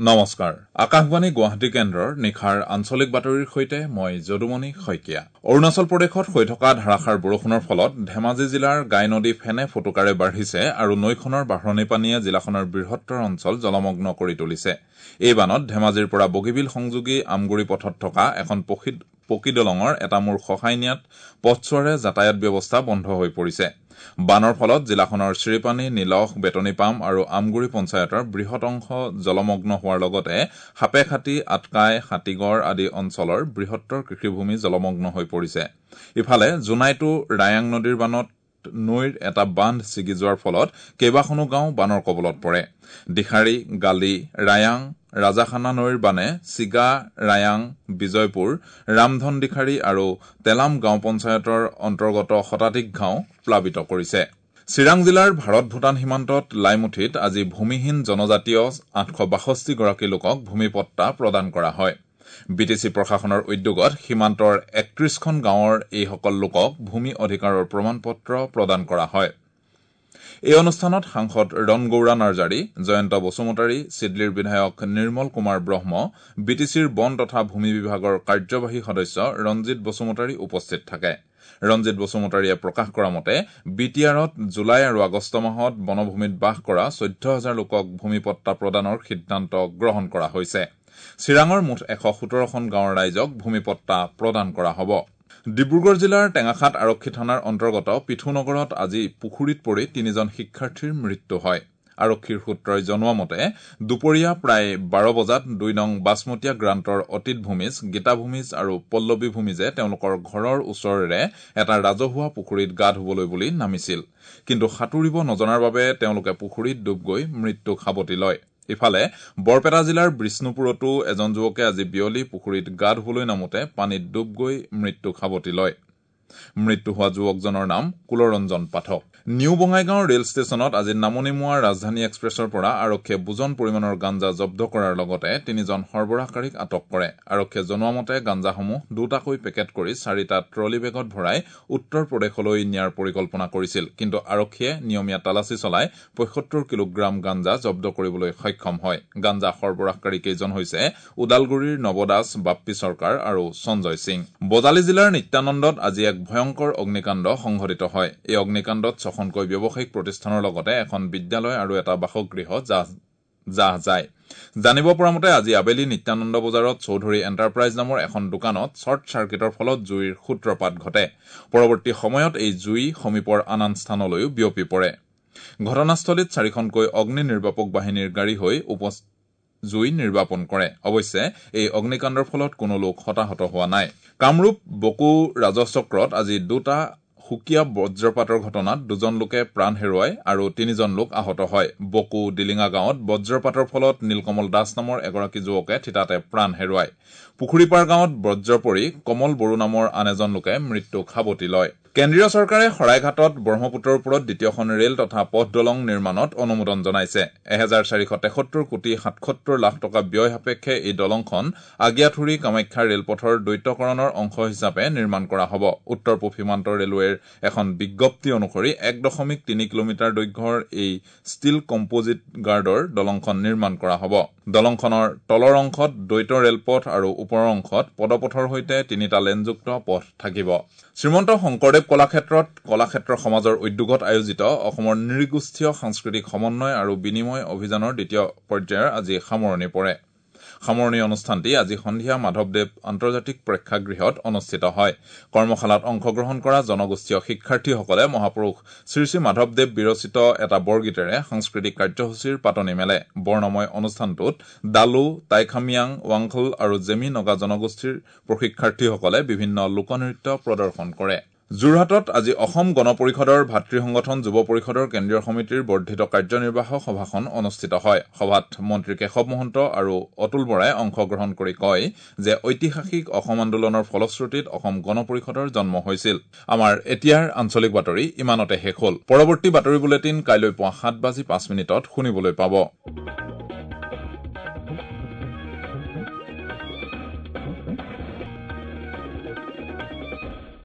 নমস্কাৰ, আকাশবাণী গুৱাহাটী কেন্দ্ৰৰ নিশাৰ আঞ্চলিক বাতৰিৰ সৈতে মই যদুমণি শইকীয়া। অৰুণাচল প্ৰদেশত হৈ থকা ধাৰাসাৰ বৰষুণৰ ফলত ধেমাজি জিলাৰ গাই নদী ফেনে ফটুকাৰে বাঢ়িছে আৰু নৈখনৰ বাঢ়নী পানীয়ে জিলাখনৰ বৃহত্তৰ অঞ্চল জলমগ্ন কৰি তুলিছে। এই বানত ধেমাজিৰ পৰা বগীবিল সংযোগী আমগুৰি পথত থকা এখন পকী দলঙৰ এটা মূৰ খহাই নিয়াত পথছোৱাৰে যাতায়াত ব্যৱস্থা বন্ধ হৈ পৰিছে। বানৰ ফলত জিলাখনৰ শ্ৰীপানী, নিলখ, বেতনিপাম আৰু আমগুৰি পঞ্চায়তৰ বৃহৎ অংশ জলমগ্ন হোৱাৰ লগতে সাপেখাতী, আটকাই, হাতীগড় আদি অঞ্চলৰ বৃহত্তৰ কৃষিভূমি জলমগ্ন হৈ পৰিছে। ইফালে জোনাইতো ৰায়াং নদীৰ বানত নৈৰ এটা বান্ধ ছিগি যোৱাৰ ফলত কেইবাখনো গাঁও বানৰ কবলত পৰে। দিখাৰী, গালি, ৰায়াং, ৰাজাখানা নৈৰ বানে চিগা, ৰায়াং, বিজয়পুৰ, ৰামধন দিখাৰী আৰু তেলাম গাঁও পঞ্চায়তৰ অন্তৰ্গত শতাধিক গাঁও প্লাবিত কৰিছে। চিৰাং জিলাৰ ভাৰত ভূটান সীমান্তত লাইমুঠিত আজি ভূমিহীন জনজাতীয় ৮৬২ গৰাকী লোকক ভূমিপট্টা প্ৰদান কৰা হয়। বিটিচি প্ৰশাসনৰ উদ্যোগত সীমান্তৰ ৩১খন গাঁৱৰ এইসকল লোকক ভূমি অধিকাৰৰ প্ৰমাণপত্ৰ প্ৰদান কৰা হয়। এই অনুষ্ঠানত সাংসদ ৰণগৌৰা নাৰ্জাৰী, জয়ন্ত বসুমতাৰী, চিডলিৰ বিধায়ক নিৰ্মল কুমাৰ ব্ৰহ্ম, বিটিচিৰ বন তথা ভূমি বিভাগৰ কাৰ্যবাহী সদস্য ৰঞ্জিত বসুমতাৰী উপস্থিত থাকে। ৰঞ্জিত বসুমতাৰীয়ে প্ৰকাশ কৰা মতে বিটিআৰত জুলাই আৰু আগষ্ট মাহত বনভূমিত বাস কৰা ১৪ হাজাৰ লোকক ভূমিপট্টা প্ৰদানৰ সিদ্ধান্ত গ্ৰহণ কৰা হৈছে। চিৰাঙৰ মুঠ ১১৭খন গাঁৱৰ ৰাইজক ভূমিপট্টা প্ৰদান কৰা হ'ব। ডিব্ৰুগড় জিলাৰ টেঙাখাট আৰক্ষী থানাৰ অন্তৰ্গত পিঠুনগৰত আজি পুখুৰীত পৰি তিনিজন শিক্ষাৰ্থীৰ মৃত্যু হয়। আৰক্ষীৰ সূত্ৰই জনোৱা মতে দুপৰীয়া প্ৰায় ১২ বজাত ২ নং বাছমতীয়া গ্ৰাণ্টৰ অতীত ভূমিজ, গীতা ভূমিজ আৰু পল্লৱী ভূমিজে তেওঁলোকৰ ঘৰৰ ওচৰেৰে এটা ৰাজহুৱা পুখুৰীত গা ধুবলৈ বুলি নামিছিল। কিন্তু সাঁতুৰিব নজনাৰ বাবে তেওঁলোকে পুখুৰীত ডুব গৈ মৃত্যুক সাৱটি লয়। ইফালে বৰপেটা জিলাৰ বিষ্ণুপুৰতো এজন যুৱকে আজি বিয়লি পুখুৰীত গা ধুবলৈ নামোতে পানীত ডুব গৈ মৃত্যুক সাৱটি লয়। মৃত্যু হোৱা যুৱকজনৰ নাম কুলৰঞ্জন পাঠক। নিউ বঙাইগাঁও ৰেল ষ্টেচনত আজি নামনিমুৱা ৰাজধানী এক্সপ্ৰেছৰ পৰা আৰক্ষীয়ে বুজন পৰিমাণৰ গাঞ্জা জব্দ কৰাৰ লগতে তিনিজন সৰবৰাহকাৰীক আটক কৰে। আৰক্ষীয়ে জনোৱা মতে গাঞ্জাসমূহ দুটাকৈ পেকেট কৰি ৪টা ট্ৰলী বেগত ভৰাই উত্তৰ প্ৰদেশলৈ নিয়াৰ পৰিকল্পনা কৰিছিল। কিন্তু আৰক্ষীয়ে নিয়মীয়া তালাচী চলাই ৭৫ কিলোগ্ৰাম গাঞ্জা জব্দ কৰিবলৈ সক্ষম হয়। গাঞ্জা সৰবৰাহকাৰী কেইজন হৈছে ওদালগুৰিৰ নৱদাস, বাপ্পী চৰকাৰ আৰু সঞ্জয় সিং। বজালী জিলাৰ নিত্যানন্দত আজি এক ভয়ংকৰ অগ্নিকাণ্ড সংঘটিত হয়। এই অগ্নিকাণ্ডত ৬খনকৈ ব্যৱসায়িক প্ৰতিষ্ঠানৰ লগতে এখন বিদ্যালয় আৰু এটা বাসগৃহ জাহ যায়। জানিব পৰা মতে আজি আবেলি নিত্যানন্দ বজাৰত চৌধুৰী এণ্টাৰপ্ৰাইজ নামৰ এখন দোকানত শ্বৰ্ট চাৰ্কিটৰ ফলত জুইৰ সূত্ৰপাত ঘটে। পৰৱৰ্তী সময়ত এই জুই সমীপৰ আন আন স্থানলৈও বিয়পি পৰে। ঘটনাস্থলীত ৪খনকৈ অগ্নি নিৰ্বাপক বাহিনীৰ গাড়ী হৈ জুই নিৰ্বাপন কৰে। অৱশ্যে এই অগ্নিকাণ্ডৰ ফলত কোনো লোক হতাহত হোৱা নাই। কামৰূপ বকো ৰাজহ চক্ৰত আজি দুটা সুকীয়া বজ্ৰপাতৰ ঘটনাত দুজন লোকে প্ৰাণ হেৰুৱায় আৰু তিনিজন লোক আহত হয়। বকো দিলিঙা গাঁৱত বজ্ৰপাতৰ ফলত নীলকমল দাস নামৰ এগৰাকী যুৱকে থিতাতে প্ৰাণ হেৰুৱায়। পুখুৰীপাৰ গাঁৱত বজ্ৰ পৰি কমল বড়ো নামৰ আন এজন লোকে মৃত্যুক সাৱটি লয়। কেন্দ্ৰীয় চৰকাৰে শৰাইঘাটত ব্ৰহ্মপুত্ৰৰ ওপৰত দ্বিতীয়খন ৰেল তথা পথ দলং নিৰ্মাণত অনুমোদন জনাইছে। ১৪৭৩ কোটি ৭৭ লাখ টকা ব্যয় সাপেক্ষে এই দলংখন আগিয়াথুৰি কামাখ্যা ৰেলপথৰ দ্বৈতকৰণৰ অংশ হিচাপে নিৰ্মাণ কৰা হ'ব। উত্তৰ পূব সীমান্ত ৰেলৱেৰ এখন বিজ্ঞপ্তি অনুসৰি ১.৩ কিলোমিটাৰ দৈৰ্ঘ্যৰ এই ষ্টীল কম্পজিট গাৰ্ডৰ দলংখন নিৰ্মাণ কৰা হ'ব। দলংখনৰ তলৰ অংশত দ্বৈত ৰেলপথ আৰু ওপৰৰ অংশত পদপথৰ সৈতে ৩টা লেনযুক্ত পথ থাকিব। শ্ৰীমন্ত শংকৰদেৱ কলাক্ষেত্ৰত কলাক্ষেত্ৰ সমাজৰ উদ্যোগত আয়োজিত অসমৰ নৃগোষ্ঠীয় সাংস্কৃতিক সমন্বয় আৰু বিনিময় অভিযানৰ দ্বিতীয় পৰ্যায়ৰ আজি সামৰণি পৰে। সামৰণি অনুষ্ঠানটি আজি সন্ধিয়া মাধৱদেৱ আন্তৰ্জাতিক প্ৰেক্ষাগৃহত অনুষ্ঠিত হয়। কৰ্মশালাত অংশগ্ৰহণ কৰা জনগোষ্ঠীয় শিক্ষাৰ্থীসকলে মহাপুৰুষ শ্ৰীশ্ৰী মাধৱদেৱ বিৰচিত এটা বৰগীতেৰে সাংস্কৃতিক কাৰ্যসূচীৰ পাতনি মেলে। বৰ্ণময় অনুষ্ঠানটোত ডালু, টাইখামিয়াং, ৱাংখল আৰু জেমি নগা জনগোষ্ঠীৰ প্ৰশিক্ষাৰ্থীসকলে বিভিন্ন লোকনৃত্য প্ৰদৰ্শন কৰে। যোৰহাটত আজি অসম গণ পৰিষদৰ ভাতৃ সংগঠন যুৱ পৰিষদৰ কেন্দ্ৰীয় সমিতিৰ বৰ্ধিত কাৰ্যনিৰ্বাহক সভাখন অনুষ্ঠিত হয়। সভাত মন্ত্ৰী কেশৱ মহন্ত আৰু অতুল বৰাই অংশগ্ৰহণ কৰি কয় যে ঐতিহাসিক অসম আন্দোলনৰ ফলশ্ৰুতিত অসম গণ পৰিষদৰ জন্ম হৈছিল। আমাৰ এতিয়াৰ আঞ্চলিক বাতৰি ইমানতে শেষ হ'ল। পৰৱৰ্তী বাতৰি বুলেটিন কাইলৈ পুৱা ৭:০৫ শুনিবলৈ পাব।